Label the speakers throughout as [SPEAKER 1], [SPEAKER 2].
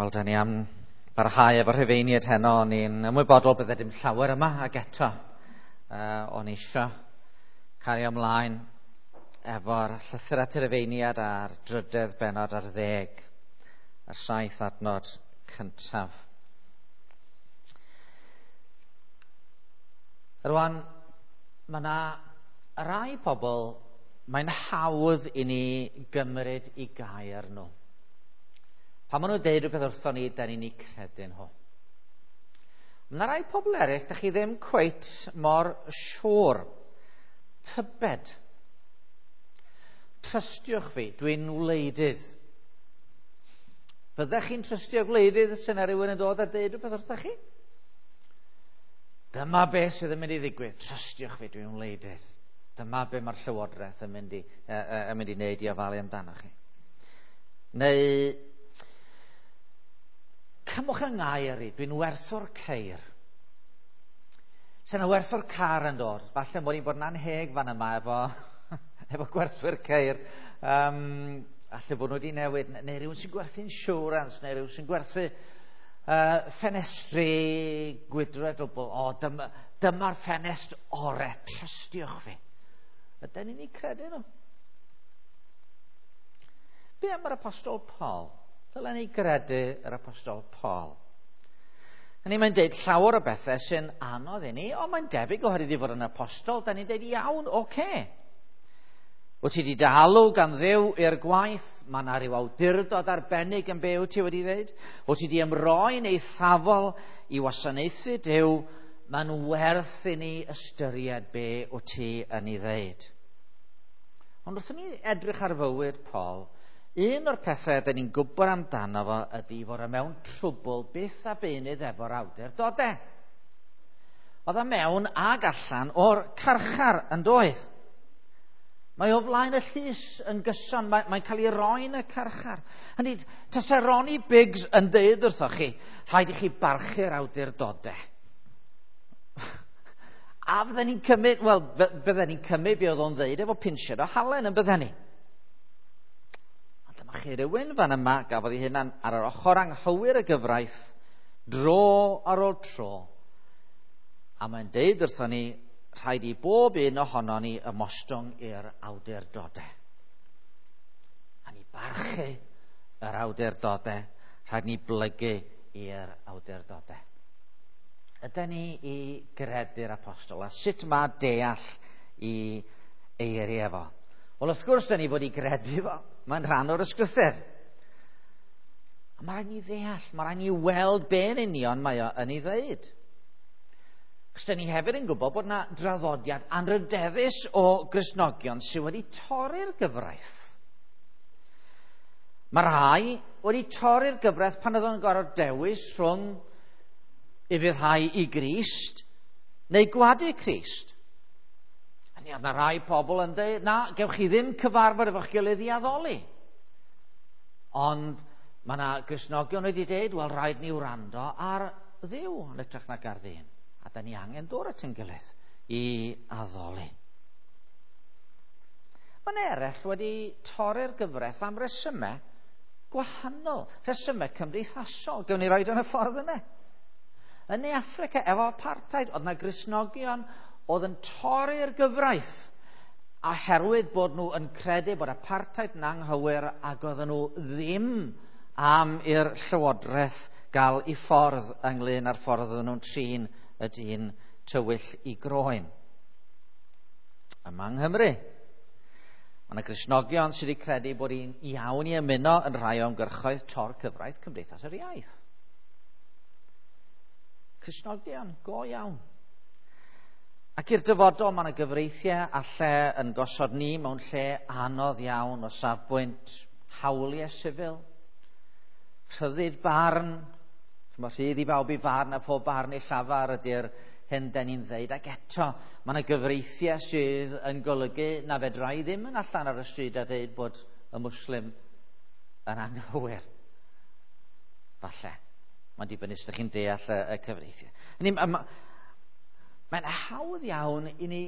[SPEAKER 1] Wel, da ni am barhau efo'r Rhufeiniaid heno. O'n i'n ymwybodol bydde dim llawer yma, ac eto o'n i isio cario ymlaen efo'r llythyr at y Rhufeiniaid a'r drydedd bennod ar 10, y 7 adnod cyntaf. Rwan, mae yna rai pobl, mae'n hawdd i ni gymryd i gair nhw. Pan maen nhw'n deud rhywbeth wrthon ni, da ni'n ei credu nhw. Mae yna rai pobl eraill, da chi ddim cweit mor siŵr. Tybed. Trystiwch fi, dwi'n wleidydd. Fyddech chi'n trystio gwleidydd sy'n yna rhywun yn dod a deud rhywbeth wrthych chi? Dyma beth sydd yn mynd i ddigwydd. Trystiwch fi, dwi'n wleidydd. Dyma be mae'r llywodraeth yn mynd i, yn mynd i wneud i ofalu amdano chi. Neu, cymwch yng ngair i, dwi'n werthwr ceir. Sy'n yna werthwr car yn dod. Falle mod i'n bod yn anheg fan yma efo gwerthwyr ceir. Falle bod nhw wedi newid, neu rhywun sy'n gwerthu insurance, neu rhywun sy'n gwerthu ffenestri gwydre dwbl. O, dyma'r ffenest ore, trystiwch fi. Ydyn ni'n ei credu nhw? Be am yr Apostol Paul? Dylen ni gredu yr Apostol Paul. Hynny, mae'n deud llawer o bethau sy'n anodd i ni, ond mae'n debyg oherwydd i fod yn apostol, da ni'n deud iawn, oce. Wyt ti wedi dy alw gan Dduw i'r gwaith, mae yna rhyw awdurdod arbennig yn be wyt ti wedi dweud. Wyt ti wedi ymroi'n eithafol i wasanaethu Duw, mae'n werth i ni ystyried be wyt ti yn ei ddeud. Ond wrth i ni edrych ar fywyd Paul, un o'r pethau ydyn ni'n gwybod amdano fo ydy fod e mewn trwbl byth a beunydd efo'r awdurdodau. Oedd e mewn ag allan o'r carchar yn doedd. Mae o flaen y llys yn gyson, mae'n cael ei roi yn y carchar. Hynny, tase Ronnie Biggs yn deud wrthoch chi, rhaid i chi barchu'r awdurdodau. A fydden ni'n cymryd, wel, bydden ni'n cymryd be oedd o'n ddeud efo pinsiad o halen yn bydden ni. Ond dyma chi rywun fan yma gafodd ei hunan ar yr ochr anghywir y gyfraith dro ar ôl tro. A mae'n deud wrthon ni, rhaid i bob un ohono ni ymostwng i'r awdurdodau. A ni barchu yr awdurdodau, rhaid ni blygu i'r awdurdodau. Ydy ni i gredu'r apostol, a sut mae deall i eiriau fo? Wel, wrth gwrs, dyn ni fod i gredu fo. Mae'n rhan o'r ysgrythur. A mae rhaid ni ddeall, mae rhaid ni weld be yn union mae o yn ei ddweud. Cos dyn ni hefyd yn gwybod bod yna draddodiad anrydeddus o Gristnogion sydd wedi torri'r gyfraith. Mae rhai wedi torri'r gyfraith pan oedd o'n gorfod dewis rhwng ufuddhau i Grist neu gwadu Crist. A ni oedd yna rai pobl yn dweud, na, gewch chi ddim cyfarfod efo'ch gilydd i addoli. Ond mae yna Gristnogion wedi dweud, wel, rhaid ni wrando ar Dduw yn hytrach nag ar ddyn. A da ni angen dod at ein gilydd i addoli. Mae'n eraill wedi torri'r gyfraith am resymau gwahanol, rhesymau cymdeithasol. Gewn ni roed yn y ffordd yna. Yn Ne Affrica, efo apartheid, oedd yna Gristnogion oedd yn torri'r gyfraith oherwydd bod nhw yn credu bod apartheid yn anghywir ac oedden nhw ddim am i'r llywodraeth gael ei ffordd ynglyn â'r ffordd oedden nhw'n trin y dyn tywyll i groen. Yma yng Nghymru, mae yna Gristnogion sydd wedi credu bod hi'n iawn i ymuno yn rhai o ymgyrchoedd tor cyfraith Cymdeithas yr Iaith. Cristnogion, go iawn. Ac i'r dyfodol mae yna gyfreithiau a lle yn gosod ni mewn lle anodd iawn o safbwynt hawliau sifil, rhyddid barn, mae rhydd i bawb i farn a pob barn i llafar ydy'r hyn den ni'n ddeud. Ac eto, mae yna gyfreithiau sydd yn golygu na fedra i ddim yn allan ar y stryd a dweud bod y Muslim yn anghywir. Falle. Mae'n dibynnu os ydych chi'n deall y cyfreithiau. Mae'n hawdd iawn i ni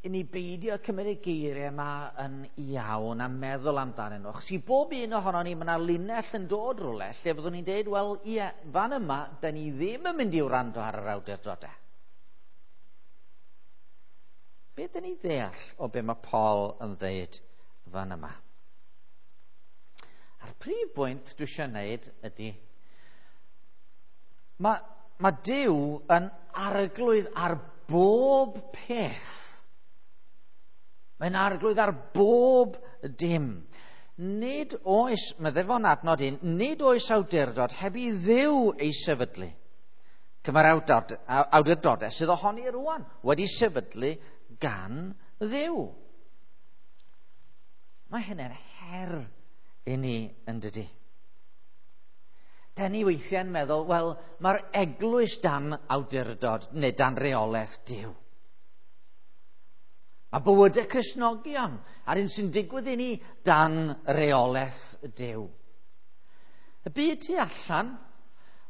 [SPEAKER 1] i ni beidio cymryd y geiriau yma yn iawn a meddwl amdanyn nhw. Achos i bob un ohono ni, mae yna linell yn dod rhywle lle byddwn ni'n deud, wel, ie, fan yma, da ni ddim yn mynd i wrando ar yr awdurdodau. Be dyn ni ddeall o be mae Paul yn ddeud fan yma? A'r prif bwynt dwi eisiau gwneud ydy, mae Duw yn arglwydd ar bob peth. Mae'n arglwydd ar bob dim. Nid oes, meddai fo'n adnod 1, nid oes awdurdod heb i Dduw ei sefydlu. Cyma'r awdurdodau sydd ohoni rwan wedi sefydlu gan Dduw. Mae hynny'n her i ni yn dydy. Da ni weithiau'n meddwl, wel, mae'r eglwys dan awdurdod neu dan reolaeth Duw. Mae bywydau Cristnogion a'r un sy'n digwydd i ni dan reolaeth Duw. Y byd tu allan,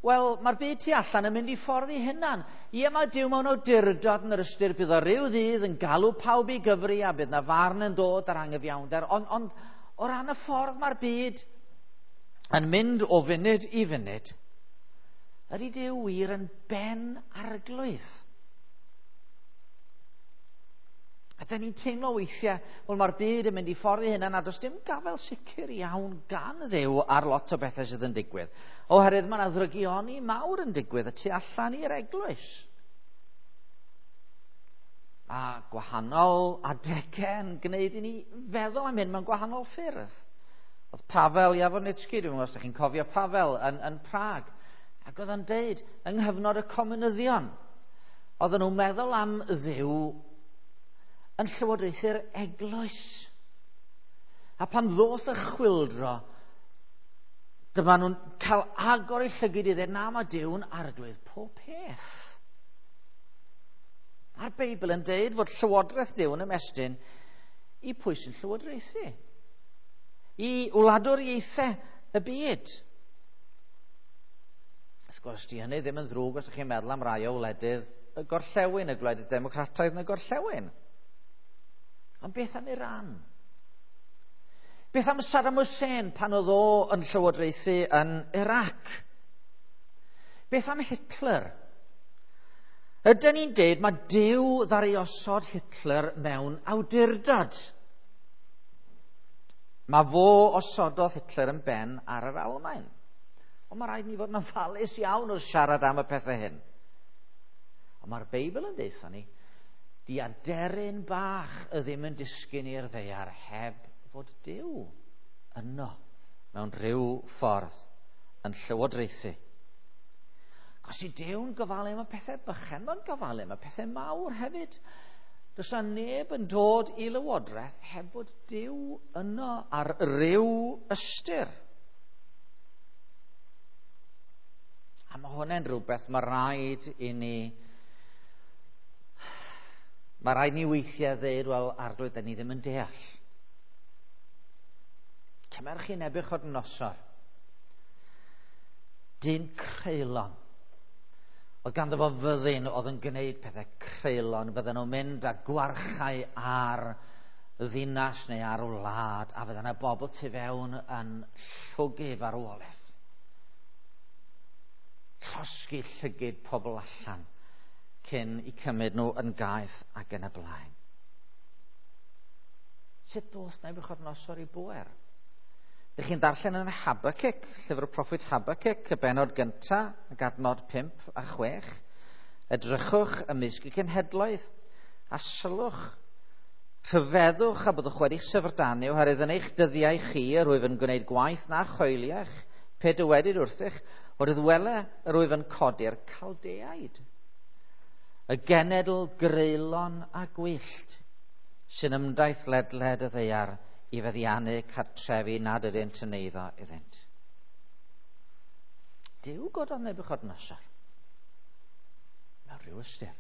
[SPEAKER 1] wel, mae'r byd tu allan yn mynd i ffordd i hunan. Ie, mae Duw mewn awdurdod yn yr ystyr bydd o ryw ddydd yn galw pawb i gyfri a bydd na farn yn dod ar anghyfiawnder. Ond o ran y ffordd mae'r byd yn mynd o funud i funud, ydy Duw wir yn ben arglwydd? A da ni'n teimlo weithiau, wel mae'r byd yn mynd i ffordd i hunan a does dim gafael sicr iawn gan Dduw ar lot o bethau sydd yn digwydd. Oherwydd mae yna ddrygioni mawr yn digwydd y tu allan i'r eglwys. Mae gwahanol adegau yn gwneud i ni feddwl am hyn mewn gwahanol ffyrdd. Oedd Pavel Javornický, dwi'n meddwl os ydych chi'n cofio Pavel yn Prag, ac oedd o'n deud yng nghyfnod y comunyddion, oedden nhw'n meddwl am Dduw yn llywodraethu'r eglwys. A pan ddoth y chwyldro, dyma nhw'n cael agor eu llygid i ddweud, na, mae Duw'n arglwydd pob peth. Mae'r Beibl yn deud fod llywodraeth Duw yn ymestyn i pwy sy'n llywodraethu. I wladwriaethau y byd. Wrth gwrs, di hynny ddim yn ddrwg os ydych chi'n meddwl am rai o wledydd y gorllewin, y gwledydd democrataidd yn y gorllewin. Ond beth am Iran? Beth am Saddam Hussein pan oedd o yn llywodraethu yn Iraq? Beth am Hitler? Ydyn ni'n deud mae Duw ddaru osod Hitler mewn awdurdod. Mae fo osododd Hitler yn ben ar yr Almaen. Ond mae rhaid ni fod yn ofalus iawn wrth siarad am y pethau hyn. Ond mae'r Beibl yn deutha ni, di aderyn bach y ddim yn disgyn i'r ddaear heb fod Duw yno mewn rhyw ffordd yn llywodraethu. Os i Duw'n gofalu am y pethau bychan, mae'n gofalu am y pethau mawr hefyd. Does na neb yn dod i lywodraeth heb fod Duw yno ar ryw ystyr. A mae hwnna'n rhywbeth mae rhaid i ni... Mae rhaid ni weithiau ddeud, wel, arglwydd, da ni ddim yn deall. Cymerwch chi Nebiwchodynosor. Dyn creulon. Oedd ganddo fo fyddin oedd yn gwneud pethau creulon. Fydden nhw'n mynd â gwarchau ar ddinas neu ar wlad, a fydden nhw bobl tu fewn yn llwgu farwolaeth. Llosgi llygid pobl allan cyn i cymryd nhw yn gaeth ac yn y blaen. Sut dos Nebiwchodynosor i bwer? Dych chi'n darllen yn Habakkuk, llyfr y proffwyd Habakkuk, y bennod gyntaf, ac adnod 5 a 6. Edrychwch ymysg y cenhedloedd, a sylwch, rhyfeddwch a byddwch wedi'ch syfrdanu, oherwydd yn eich dyddiau chi yr wyf yn gwneud gwaith na choeliach, pe dywedid wrthych, oherwydd wele yr wyf yn codi'r Caldeaid, y genedl greulon a gwyllt sy'n ymdaith ledled y ddaear i feddiannu cartrefi nad ydynt yn eiddo iddynt. Duw gododd Nebiwchodynosor mewn rhyw ystyr.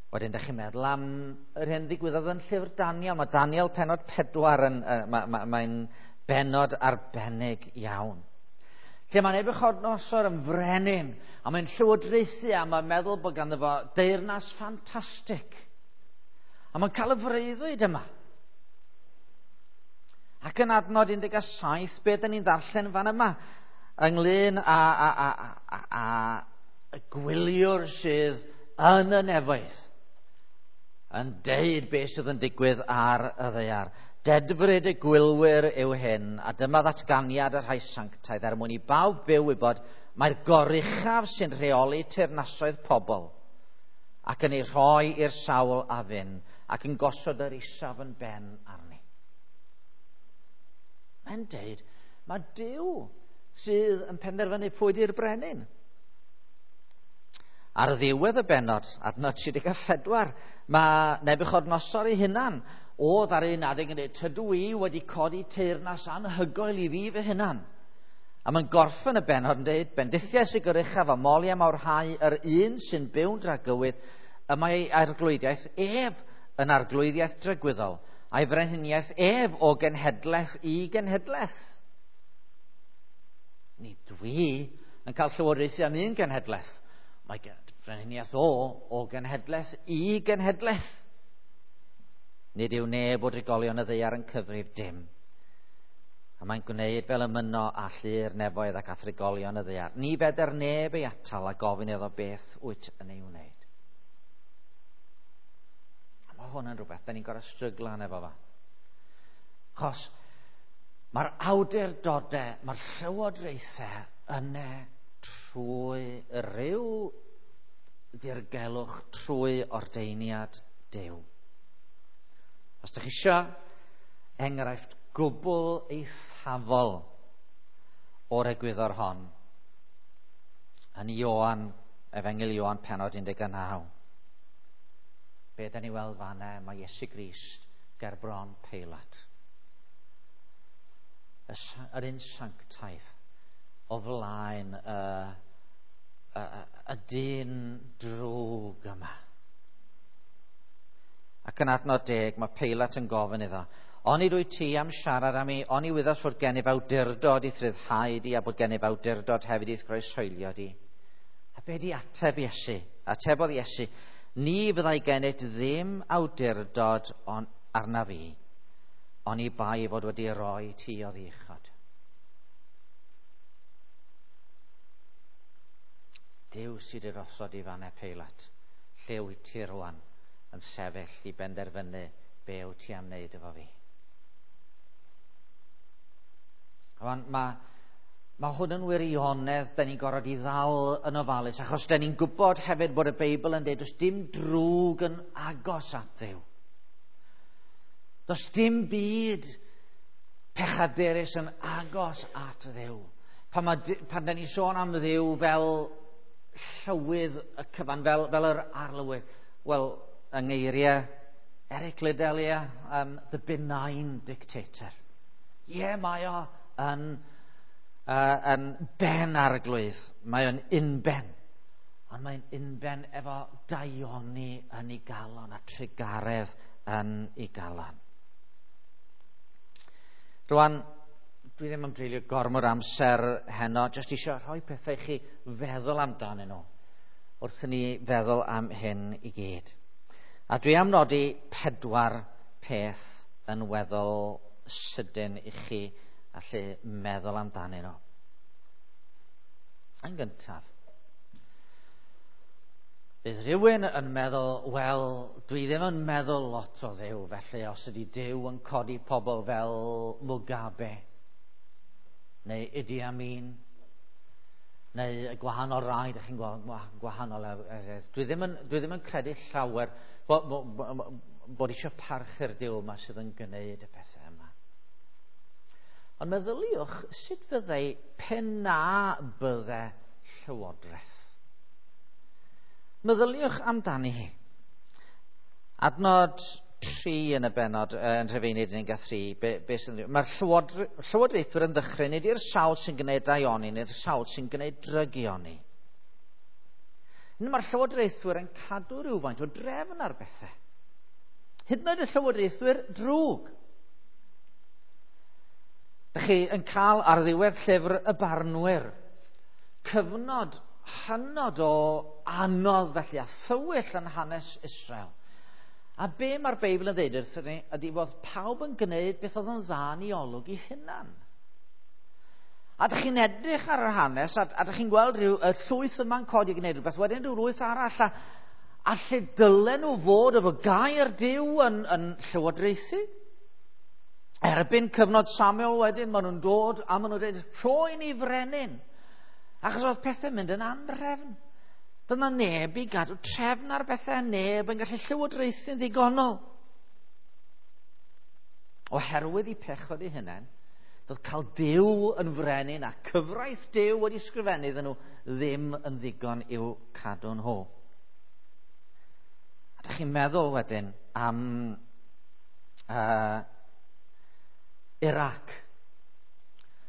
[SPEAKER 1] Wedyn, dych chi'n meddwl am yr hyn ddigwyddodd yn llyfr Daniel. Mae Daniel pennod 4 yn, mae'n bennod arbennig iawn. Lle mae Nebuchadnezzar yn frenin, a mae'n llywodraethu, a mae'n meddwl bod ganddo fo deyrnas ffantastig. A mae'n cael y freuddwyd yma. Ac yn adnod 17, be dyn ni'n ddarllen fan yma, ynglyn â y gwyliwr sydd yn y nefoedd, yn deud beth sydd yn digwydd ar y ddaear. Dedfryd y gwylwyr yw hyn, a dyma ddatganiad y rhai sanctaidd er mwyn i bawb byw wybod mae'r goruchaf sy'n rheoli teyrnasoedd pobl ac yn ei rhoi i'r sawl a fyn ac yn gosod yr isaf yn ben arni. Mae'n deud, mae Duw sydd yn penderfynu pwy di'r brenin. Ar ddiwedd y bennod, adnod 34, mae Nebuchadnezzar ei hunan oedd ar un adeg yn dweud, tydw i wedi codi teyrnas anhygoel i fi fy hunan. A mae'n gorffen y bennod yn dweud, bendithiau sy'n goruchaf a moli a mawrhau yr un sy'n byw'n dragywydd, y mae ei arglwyddiaeth ef yn arglwyddiaeth dragwyddol, a'i frenhiniaeth ef o genhedlaeth i genhedlaeth. Ni dwi yn cael llywodraethu am un genhedlaeth. Mae frenhiniaeth o genhedlaeth i genhedlaeth. Nid yw neb o drigolion y ddaear yn cyfrif dim. A mae'n gwneud fel y myno a llu'r nefoedd ac a thrigolion y ddaear. Ni fedr neb ei atal a gofyn iddo beth wyt yn ei wneud. A mae hwn yn rhywbeth, da ni'n gorfod stryglan efo fo. Achos mae'r awdurdodau, mae'r llywodraethau yna trwy ryw ddirgelwch, trwy ordeiniad Duw. Os ydych chi eisiau enghraifft gwbl eithafol o'r egwyddor hon, yn Ioan, Efengyl Ioan pennod 19. Be da ni weld fanna, mae Iesu Grist ger bron Peilat. Yr un sanctaidd o flaen y dyn drwg yma. Ac yn adnod 10, mae Peilat yn gofyn iddo, onid wyt ti am siarad am mi, oni wyddos fod gennyf awdurdod i'th ryddhau di a bod gennyf awdurdod hefyd i'th groeshoelio di. A be di ateb Iesu? Atebodd Iesu, ni fyddai gennyt ddim awdurdod arna fi, oni bai fod wedi roi ti oddi uchod. Duw sydd wedi osod i fan Peilat, lle wyt ti rwan yn sefyll i benderfynu be wyt ti am wneud efo fi. Rwan, mae hwn yn wirionedd da ni'n gorfod i ddal yn ofalus, achos da ni'n gwybod hefyd bod y Beibl yn dweud does dim drwg yn agos at Dduw. Does dim byd pechadurus yn agos at Dduw. Pan da ni'n sôn am Dduw fel llywydd y cyfan, fel yr arlywydd, wel, yng ngeiriau Eric Liddell, the benign dictator. Ie, mae o yn ben arglwydd. Mae o'n unben. Ond mae'n unben efo daioni yn ei galon a trugaredd yn ei galon. Rwan, dwi ddim am dreulio gormod amser heno, jyst eisiau rhoi pethau i chi feddwl amdanyn nhw wrth i ni feddwl am hyn i gyd. A dwi am nodi 4 peth yn weddol sydyn i chi allu meddwl amdanyn nhw. Yn gyntaf, bydd rhywun yn meddwl, wel, dwi ddim yn meddwl lot o Dduw, felly os ydy Duw yn codi pobl fel Mugabe, neu Idi Amin, neu y gwahanol rai, ydych chi'n gweld gwahanol. Dwi ddim yn credu llawer bod eisiau parchu'r Duw yma sydd yn gwneud y pethau yma. Ond meddyliwch sut fyddai pe na bydde llywodraeth. Meddyliwch amdani hi. Adnod 3 yn y bennod, yn Rhufeinig 13, mae'r llywodraethwyr yn ddychryn, nid i'r sawl sy'n gwneud daioni, neu'r sawl sy'n gwneud drygioni. Mae'r llywodraethwyr yn cadw rhywfaint o drefn ar bethau. Hyd yn oed y llywodraethwyr drwg. Dych chi yn cael ar ddiwedd llyfr y barnwyr. cyfnod hynod o anodd felly a thywyll yn hanes Israel. A be mae'r Beibl yn dweud wrthyn ni ydy bod pawb yn gwneud beth oedd yn dda yn ei olwg ei hunan. A dych chi'n edrych ar yr hanes, a dych chi'n gweld rhyw y llwyth yma'n codi i gwneud rhywbeth, wedyn rhyw lwyth arall, a lle dylen nhw fod efo gair Duw yn llywodraethu. Erbyn cyfnod Samuel wedyn, maen nhw'n dod a maen nhw'n dweud, rhoi ni frenin. Achos oedd pethau'n mynd yn anhrefn. Dyna neb i gadw trefn ar bethau, neb yn gallu llywodraethu'n ddigonol. Oherwydd i pechod eu hunain, doedd cael Duw yn frenin a cyfraith Duw wedi sgrifennu iddyn nhw ddim yn ddigon i'w cadw nhw. A dych chi'n meddwl wedyn am Iraq.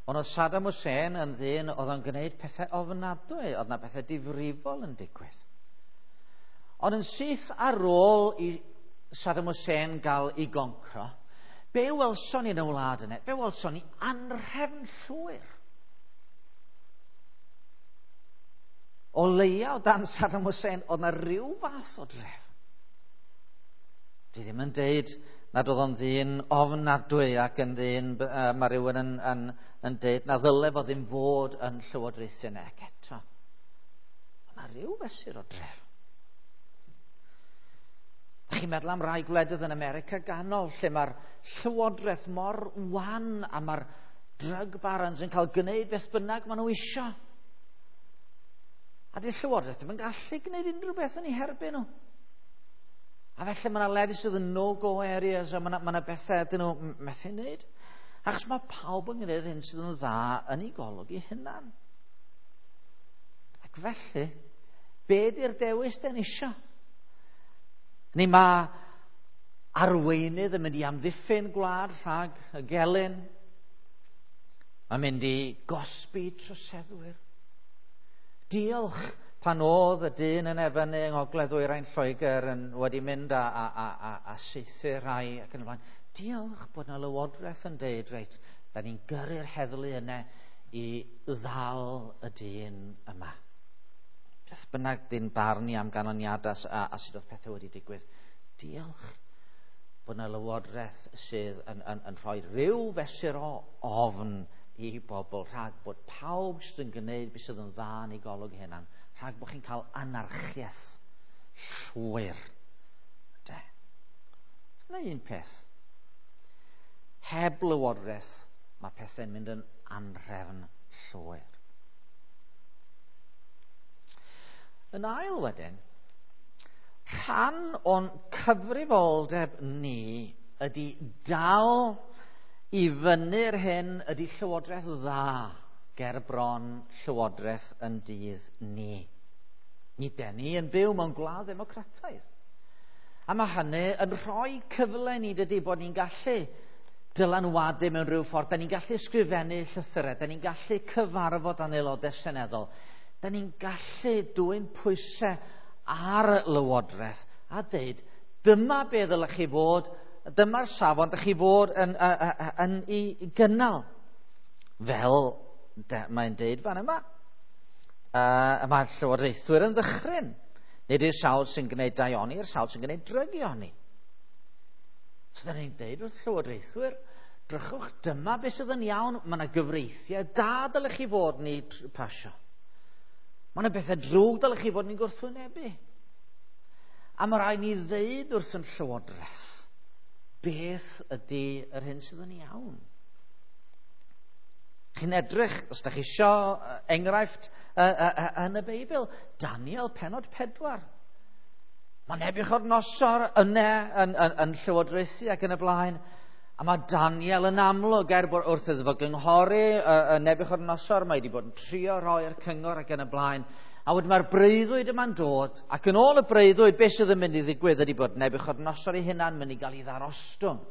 [SPEAKER 1] Ond oedd Saddam Hussein yn ddyn oedd o'n gwneud pethau ofnadwy, oedd yna pethau difrifol yn digwydd. Ond yn syth ar ôl i Saddam Hussein gael ei goncro, be welson ni yn y wlad yna? Be welson ni anrhefn llwyr. O leia o dan Saddam Hussein, oedd yna rhyw fath o drefn. Dwi ddim yn deud nad oedd o'n ddyn ofnadwy ac yn ddyn, mae rhywun yn deud na ddyle fo ddim fod yn llywodraethu yna, ac eto. Oedd yna rhyw fesur o drefn. Dych chi'n meddwl am rai gwledydd yn America ganol lle mae'r llywodraeth mor wan a mae'r drug barons yn cael gwneud beth bynnag maen nhw isio. A di'r llywodraeth ddim yn gallu gwneud unrhyw beth yn eu herbyn nhw. A felly mae yna lefydd sydd yn no-go areas a mae yna bethau dyn nhw methu wneud. Achos mae pawb yn gwneud hyn sydd yn dda yn ei golwg ei hunan. Ac felly, be di'r dewis den isio? Neu mae arweinydd yn mynd i amddiffyn gwlad rhag y gelyn. Mae'n mynd i gosbi troseddwyr. Diolch pan oedd y dyn yn efynu yng Ngogledd Ddwyrain Lloegr yn wedi mynd a saethu rhai ac yn y blaen. Diolch bod yna lywodraeth yn deud, reit, da ni'n gyrru'r heddlu yna i ddal y dyn yma. Beth bynnag dyn barn ni am ganlyniadau a sut oedd pethau wedi digwydd. Diolch bod yna lywodraeth sydd yn rhoi rhyw fesur o ofn i bobl rhag bod pawb sydd yn gwneud beth sydd yn dda yn ei golwg hunan, rhag bod chi'n cael anarchiaeth llwyr. De. Dyna un peth. Heb lywodraeth, mae pethau'n mynd yn anhrefn llwyr. Yn ail wedyn, rhan o'n cyfrifoldeb ni ydy dal i fyny'r hyn ydy llywodraeth dda ger bron llywodraeth yn dydd ni. Ni den ni yn byw mewn gwlad ddemocrataidd. A mae hynny yn rhoi cyfle ni dydy bod ni'n gallu dylanwadu mewn rhyw ffordd. Da ni'n gallu ysgrifennu llythyrau, da ni'n gallu cyfarfod â'n aelodau seneddol, da ni'n gallu dwyn pwysau ar lywodraeth a deud, dyma be ddylech chi fod, dyma'r safon dych chi fod yn ei gynnal. Fel mae'n deud fan yma. Mae'r llywodraethwyr yn ddychryn. Nid yw'r sawl sy'n gwneud daioni, i'r sawl sy'n gwneud drygioni. So da ni'n deud wrth llywodraethwyr, drychwch, dyma beth sydd yn iawn, mae yna gyfreithiau da dylech chi fod ni pasio. Mae yna bethau drwg dylech chi fod ni'n gwrthwynebu. A mae rhaid ni ddeud wrth yn llywodraeth beth ydy yr hyn sydd yn iawn. Chi'n edrych, os da chi isio enghraifft yn y Beibl, Daniel penod 4. Mae Nebiwchodynosor yna yn llywodraethu ac yn y blaen. A mae Daniel yn amlwg, er bod wrth iddo fo gynghori Nebiwchodynosor, mae wedi bod yn trio rhoi'r cyngor ac yn y blaen. A wedyn mae'r breuddwyd yma'n dod, ac yn ôl y breuddwyd, beth sydd yn mynd i ddigwydd ydy bod Nebiwchodynosor ei hunan mynd i gael ei ddarostwng.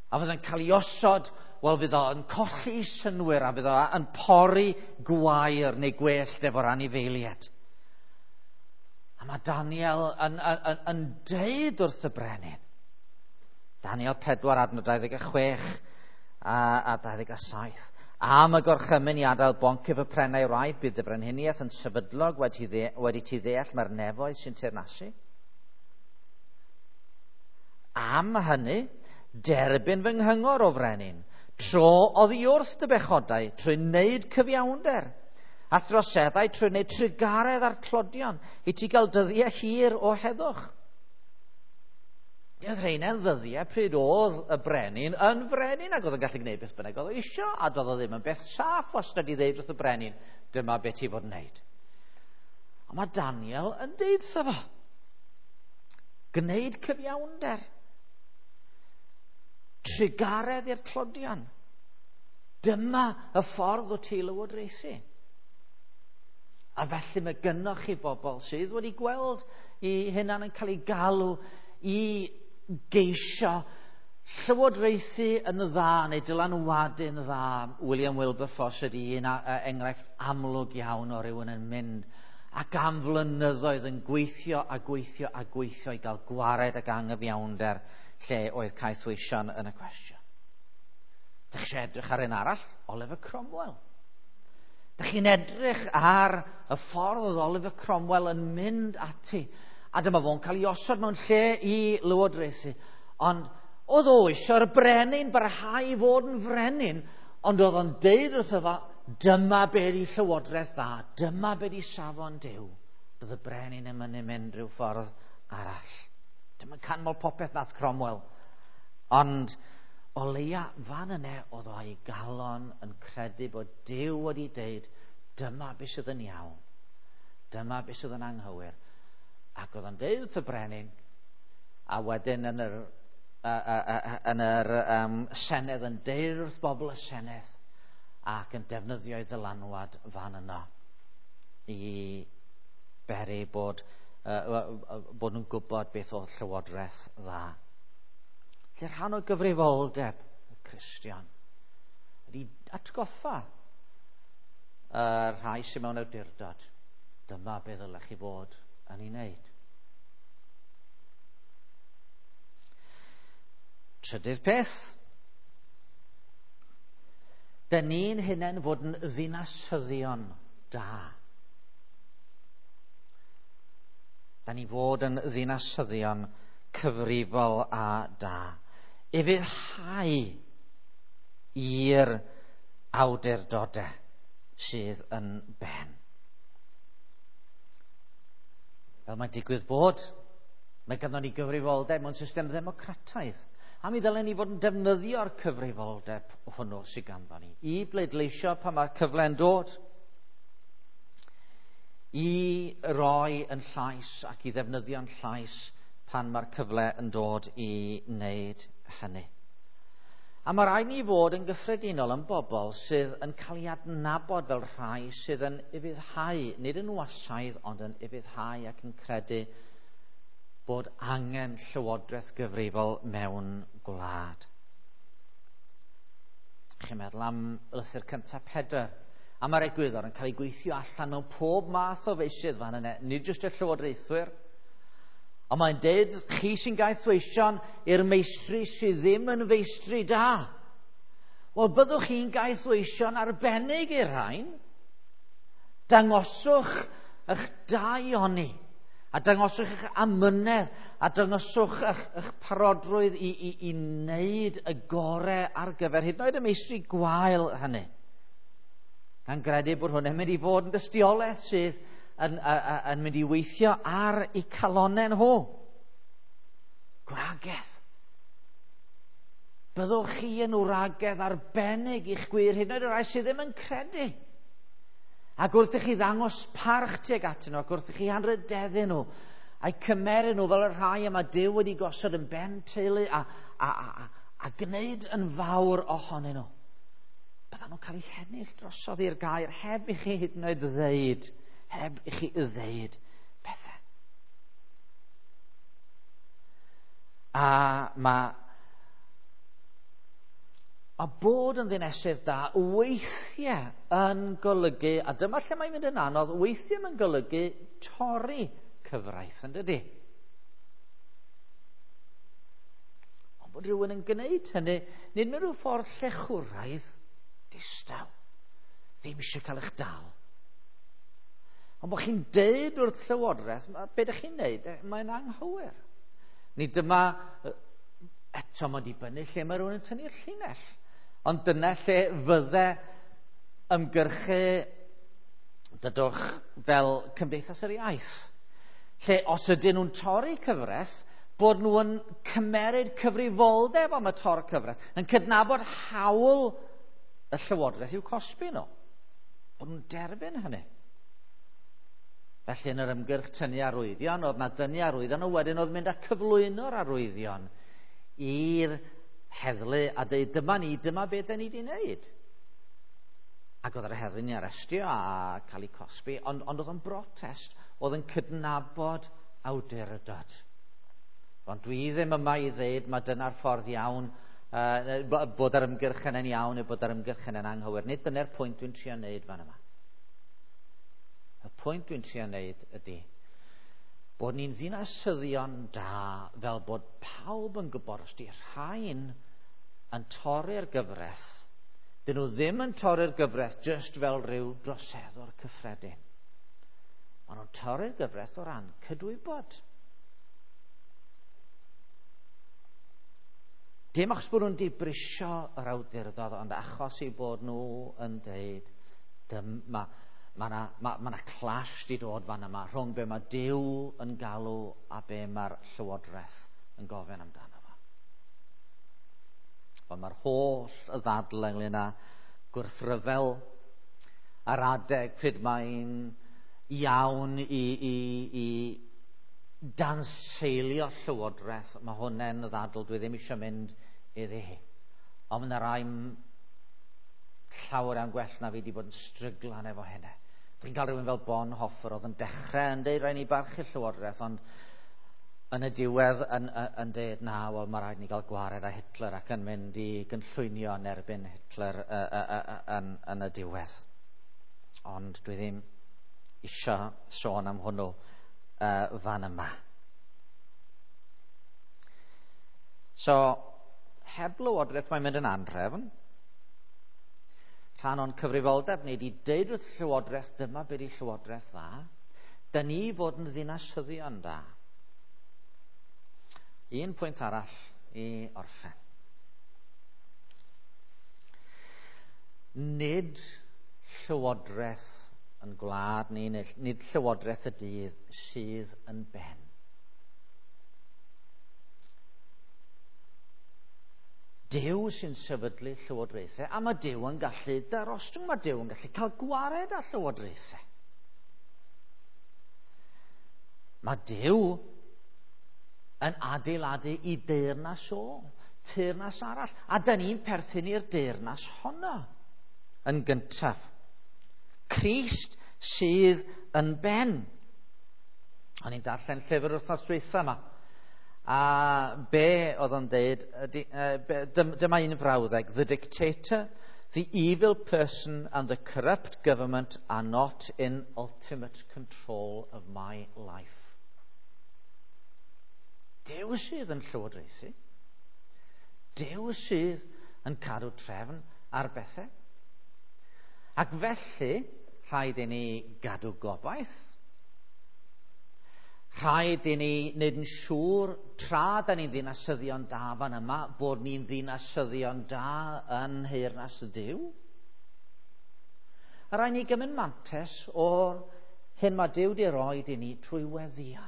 [SPEAKER 1] A fydd yn cael ei osod, wel fydd o'n colli synnwyr a fydd o'n pori gwair neu gwellt efo'r anifeiliaid. A mae Daniel yn deud wrth y brenin. Daniel 4 adnod 26 a 27. Am y gorchymyn i adael boncyff y prennau wraidd, bydd y brenhiniaeth yn sefydlog wedi ti ddeall mae'r nefoedd sy'n teyrnasu. Am hynny, derbyn fy nghyngor o frenin, tro oddi wrth dy bechodau trwy wneud cyfiawnder, a throseddau trwy wneud trugaredd a'r tlodion, i ti gael dyddiau hir o heddwch. Oedd rheina'n ddyddiau pryd oedd y brenin yn frenin ac oedd yn gallu gwneud beth bynnag oedd o isio, a doedd o ddim yn beth saff wastad i ddeud wrth y brenin, dyma beth ti fod yn wneud. Ond mae Daniel yn deud wrtho fo, gwneud cyfiawnder, trugaredd i'r tlodion. Dyma y ffordd o ti lywodraethu. A felly mae gynnoch chi bobl sydd wedi gweld i hunan yn cael ei galw i geisio llywodraethu yn dda neu dylanwadu'n dda. William Wilberforce ydy un enghraifft amlwg iawn o rywun yn mynd ac am flynyddoedd yn gweithio a gweithio a gweithio i gael gwared ag anghyfiawnder lle oedd caethweision yn y cwestiwn. Dych chi edrych ar un arall? Oliver Cromwell. Dych chi'n edrych ar y ffordd oedd Oliver Cromwell yn mynd ati, a dyma fo'n cael ei osod mewn lle i lywodraethu. Ond oedd o eisiau'r brenin barhau i fod yn frenin, ond oedd o'n deud wrtho fo, dyma be di llywodraeth dda, dyma be di safon Duw. Doedd y brenin yn mynd mynd rhyw ffordd arall. Dim yn canmol popeth nath Cromwell. Ond o leia fan yna oedd o a'i galon yn credu bod Duw wedi deud, dyma beth sydd yn iawn, dyma beth sydd yn anghywir. Ac oedd o'n deud wrth y brenin, a wedyn yn yr Senedd yn deud wrth bobl y Senedd, ac yn defnyddio ei ddylanwad fan yno i beri bod nhw'n gwybod beth oedd llywodraeth dda. Felly rhan o gyfrifoldeb y Cristion ydy atgoffa y rhai sydd mewn awdurdod. Dyma beth ddylech chi fod yn ei wneud. Trydydd peth. Dyn ni'n hunain fod yn ddinasyddion da. Da ni fod yn ddinasyddion cyfrifol a da. Ufuddhau i'r awdurdodau sydd yn ben. Fel mae'n digwydd bod, mae ganddo ni gyfrifoldeb mewn system ddemocrataidd. A mi ddylen ni fod yn defnyddio'r cyfrifoldeb hwnnw sydd ganddo ni i bleidleisio pan mae'r cyfle'n dod, i roi yn llais ac i ddefnyddio'n llais pan mae'r cyfle yn dod i wneud hynny. A mae rhaid ni fod yn gyffredinol yn bobl sydd yn cael ei adnabod fel rhai sydd yn ufuddhau, nid yn wasaidd, ond yn ufuddhau ac yn credu bod angen llywodraeth gyfrifol mewn gwlad. Chi'n meddwl am lythyr cyntaf Pedr, a mae'r egwyddor yn cael ei gweithio allan mewn pob math o feysydd fan yna, nid jyst y llywodraethwyr. Ond mae'n deud, chi sy'n gaethweision i'r meistri sydd ddim yn feistri da. Wel, byddwch chi'n gaethweision arbennig i'r rhain. Dangoswch eich daioni, a dangoswch eich amynedd, a dangoswch eich parodrwydd i wneud y gorau ar gyfer hyd yn oed y meistri gwael hynny. Gan gredu bod hwn yn mynd i fod yn dystiolaeth sydd yn mynd i weithio ar eu calonnau nhw. Gwragedd. Byddwch chi yn wragedd arbennig i'ch gwir, hyd yn oed y rhai sydd ddim yn credu. Ac wrth i chi ddangos parch tuag atyn nhw, ac wrth i chi anrhydeddu nhw, a'i cymeru nhw fel y rhai y mae Duw wedi gosod yn ben teulu a gwneud yn fawr ohonyn nhw. Byddan nhw'n cael eu hennill drosodd i'r gair heb i chi hyd yn oed ddeud, heb i chi ddeud pethau. A mae bod yn ddinesydd da weithiau yn golygu, a dyma lle mae'n mynd yn anodd, weithiau mae'n golygu torri cyfraith, yn dydy? Ond bod rhywun yn gwneud hynny, nid mewn rhyw ffordd llechwraidd, Distaw. Ddim eisiau cael eich dal. Ond bod chi'n deud wrth Llywodraeth, be ydych chi'n neud, mae'n anghywir. Nid dyma, eto mae'n dibynnu lle mae rhywun yn tynnu'r llinell. Ond dyna lle fydde ymgyrchu, dydwch, fel Cymdeithas yr Iaith. Lle os ydyn nhw'n torri cyfres, bod nhw'n cymeryd cyfrifoldeb am y tor cyfres, yn cydnabod hawl y Llywodraeth i'w cosbi nhw. Bod nhw'n derbyn hynny. Felly yn yr ymgyrch tynnu arwyddion, oedd na dynnu arwyddion, a wedyn oedd mynd â cyflwyno'r arwyddion i'r heddlu a dweud, dyma ni, dyma beth da ni wedi wneud. Ac oedd yr heddlu'n ei arestio a cael ei cosbi, ond oedd o'n brotest, oedd yn cydnabod awdurdod. Ond dwi ddim yma i ddeud mae dyna'r ffordd iawn, bod yr ymgyrch yna'n iawn neu bod yr ymgyrch yna'n anghywir. Nid dyna'r pwynt dwi'n trio wneud fan yma. Y pwynt dwi'n trio wneud ydy bod ni'n ddinasyddion da fel bod pawb yn gwybod os di rhain yn torri'r gyfraith, dyn nhw ddim yn torri'r gyfraith just fel rhyw droseddwr cyffredin. Maen nhw'n torri'r gyfraith o ran cydwybod. Dim achos bod nhw'n dibrisio yr awdurdod, ond achos eu bod nhw yn deud, dyma, mae yna ma clash di dod fan yma rhwng be mae Duw yn galw a be mae'r Llywodraeth yn gofyn amdano fo. Ond mae'r holl y ddadl ynglyn â gwrthryfel ar adeg pryd mae'n iawn i danseilio Llywodraeth, mae hwnna'n ddadl dwi ddim eisiau mynd iddi hi. Ond mae yna rai llawer iawn gwell na fi wedi bod yn stryglan efo hynny. Dwi'n cael rhywun fel Bonhoeffer oedd yn dechrau yn deud rhaid ni barchu Llywodraeth, ond yn y diwedd yn deud na, wel mae rhaid ni gael gwared â Hitler ac yn mynd i gynllwynio yn erbyn Hitler yn y diwedd. Ond dwi ddim eisiau sôn am hwnnw fan yma. So, heb Lywodraeth mae'n mynd yn anhrefn. Rhan o'n cyfrifoldeb ni wedi deud wrth Llywodraeth, dyma beth i Llywodraeth dda. Da ni fod yn ddinasyddion da. Un pwynt arall i orffen. Nid Llywodraeth yn gwlad ni, nid Llywodraeth y dydd sydd yn ben. Duw sy'n sefydlu llywodraethau, a mae Duw yn gallu darostwng, mae Duw yn gallu cael gwared â llywodraethau. Mae Duw yn adeiladu i deyrnas o, teyrnas arall, a da ni'n perthyn i'r deyrnas honno yn gyntaf. Crist sydd yn ben. O'n i'n darllen llyfr wythnos dwytha yma. A be oedd o'n deud, dyma un frawddeg, the dictator, the evil person and the corrupt government are not in ultimate control of my life. Duw sydd yn llywodraethu. Duw sydd yn cadw trefn ar bethau. Ac felly, rhaid i ni gadw gobaith. Rhaid i ni wneud yn siŵr, tra da ni'n ddinasyddion da fan yma, bod ni'n ddinasyddion da yn nheyrnas Duw. A rhaid ni gymryd mantais o'r hyn mae Duw wedi roed i ni trwy weddio.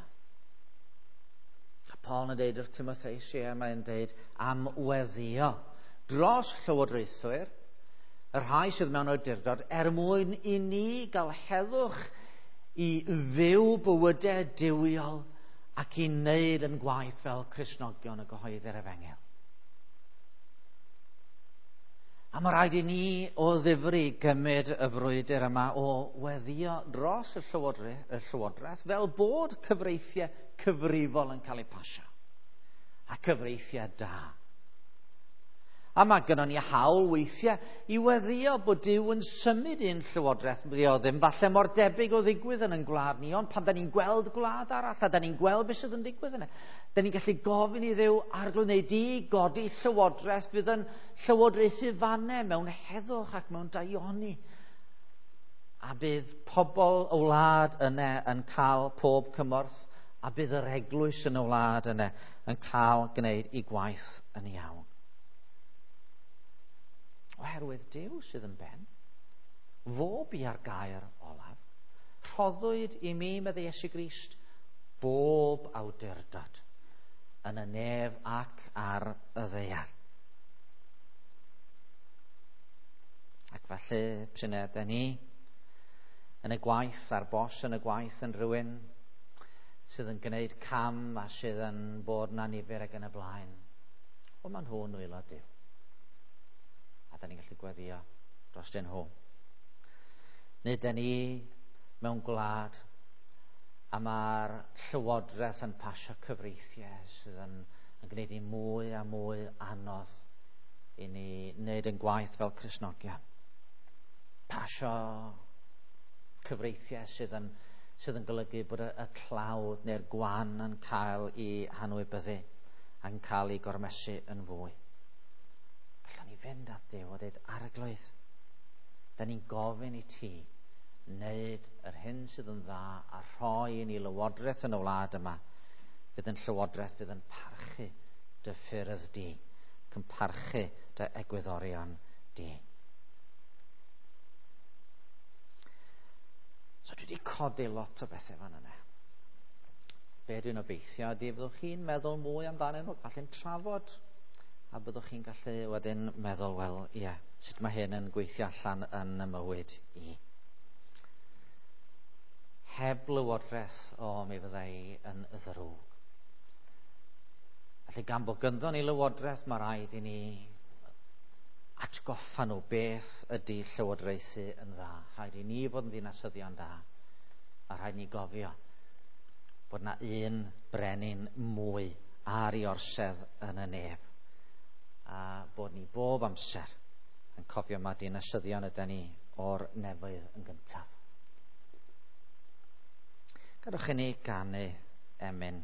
[SPEAKER 1] A Paul yn deud wrth Timotheus, ie, mae'n deud am weddio dros llywodraethwyr, y rhai sydd mewn awdurdod, er mwyn i ni gael heddwch i fyw bywydau duwiol ac i wneud yn gwaith fel Cristnogion y gyhoeddi'r Efengyl. A mae rhaid i ni o ddifri gymryd y frwydr yma o weddio dros y Llywodraeth fel bod cyfreithiau cyfrifol yn cael eu pasio a cyfreithiau da. A mae gynnon ni hawl weithiau i weddio bod Duw yn symud un llywodraeth. Di o ddim falle mor debyg o ddigwydd yn ein gwlad ni, ond pan da ni'n gweld gwlad arall a da ni'n gweld beth sydd yn digwydd yna, da ni'n gallu gofyn i Dduw, Arglwydd, neu di godi llywodraeth fydd yn llywodraethu fanne mewn heddwch ac mewn daioni. A bydd pobl y wlad yna yn cael pob cymorth, a bydd yr eglwys yn y wlad yna yn cael gwneud ei gwaith yn iawn. Oherwydd Duw sydd yn ben, fo bia'r gair olaf, rhoddwyd i mi, meddai Iesu Grist, bob awdurdod yn y nef ac ar y ddaear. Ac felly, p'run ydan ni yn y gwaith, a'r bos yn y gwaith yn rhywun sydd yn gwneud cam a sydd yn bod yn annifyr ac yn y blaen, wel, maen nhw'n nwylo Duw. A da ni'n gallu gweddio dros nhw. Neu da ni mewn gwlad a mae'r llywodraeth yn pasio cyfreithiau sydd yn gwneud i mwy a mwy anodd i ni wneud yn gwaith fel Cristnogion. Pasio cyfreithiau sydd yn golygu bod y tlawd neu'r gwan yn cael ei hanwybyddu a'n cael ei gormesu yn fwy. Gallwn ni fynd at Duw a dweud, Arglwydd, da ni'n gofyn i ti wneud yr hyn sydd yn dda a rhoi i ni lywodraeth yn y wlad yma, fydd yn llywodraeth fydd yn parchu dy ffyrdd di, ac yn parchu dy egwyddorion di. So dwi wedi codi lot o bethau fan yna. Be dwi'n obeithio ydy fyddwch chi'n meddwl mwy amdanyn nhw, falle'n trafod, a byddwch chi'n gallu wedyn meddwl, wel, ie, sut mae hyn yn gweithio allan yn y mywyd i. Heb lywodraeth, o, mi fydda i yn ddrwg. Felly gan bod gynddon ni lywodraeth, mae rhaid i ni atgoffa nhw beth ydy llywodraethu yn dda. Rhaid i ni fod yn ddinasyddion da, a rhaid ni gofio bod na un brenin mwy ar ei orsedd yn y nef, a bod ni bob amser yn cofio mae dinasyddion ydy ni o'r nefoedd yn gyntaf. Gadewch i ni ganu emyn.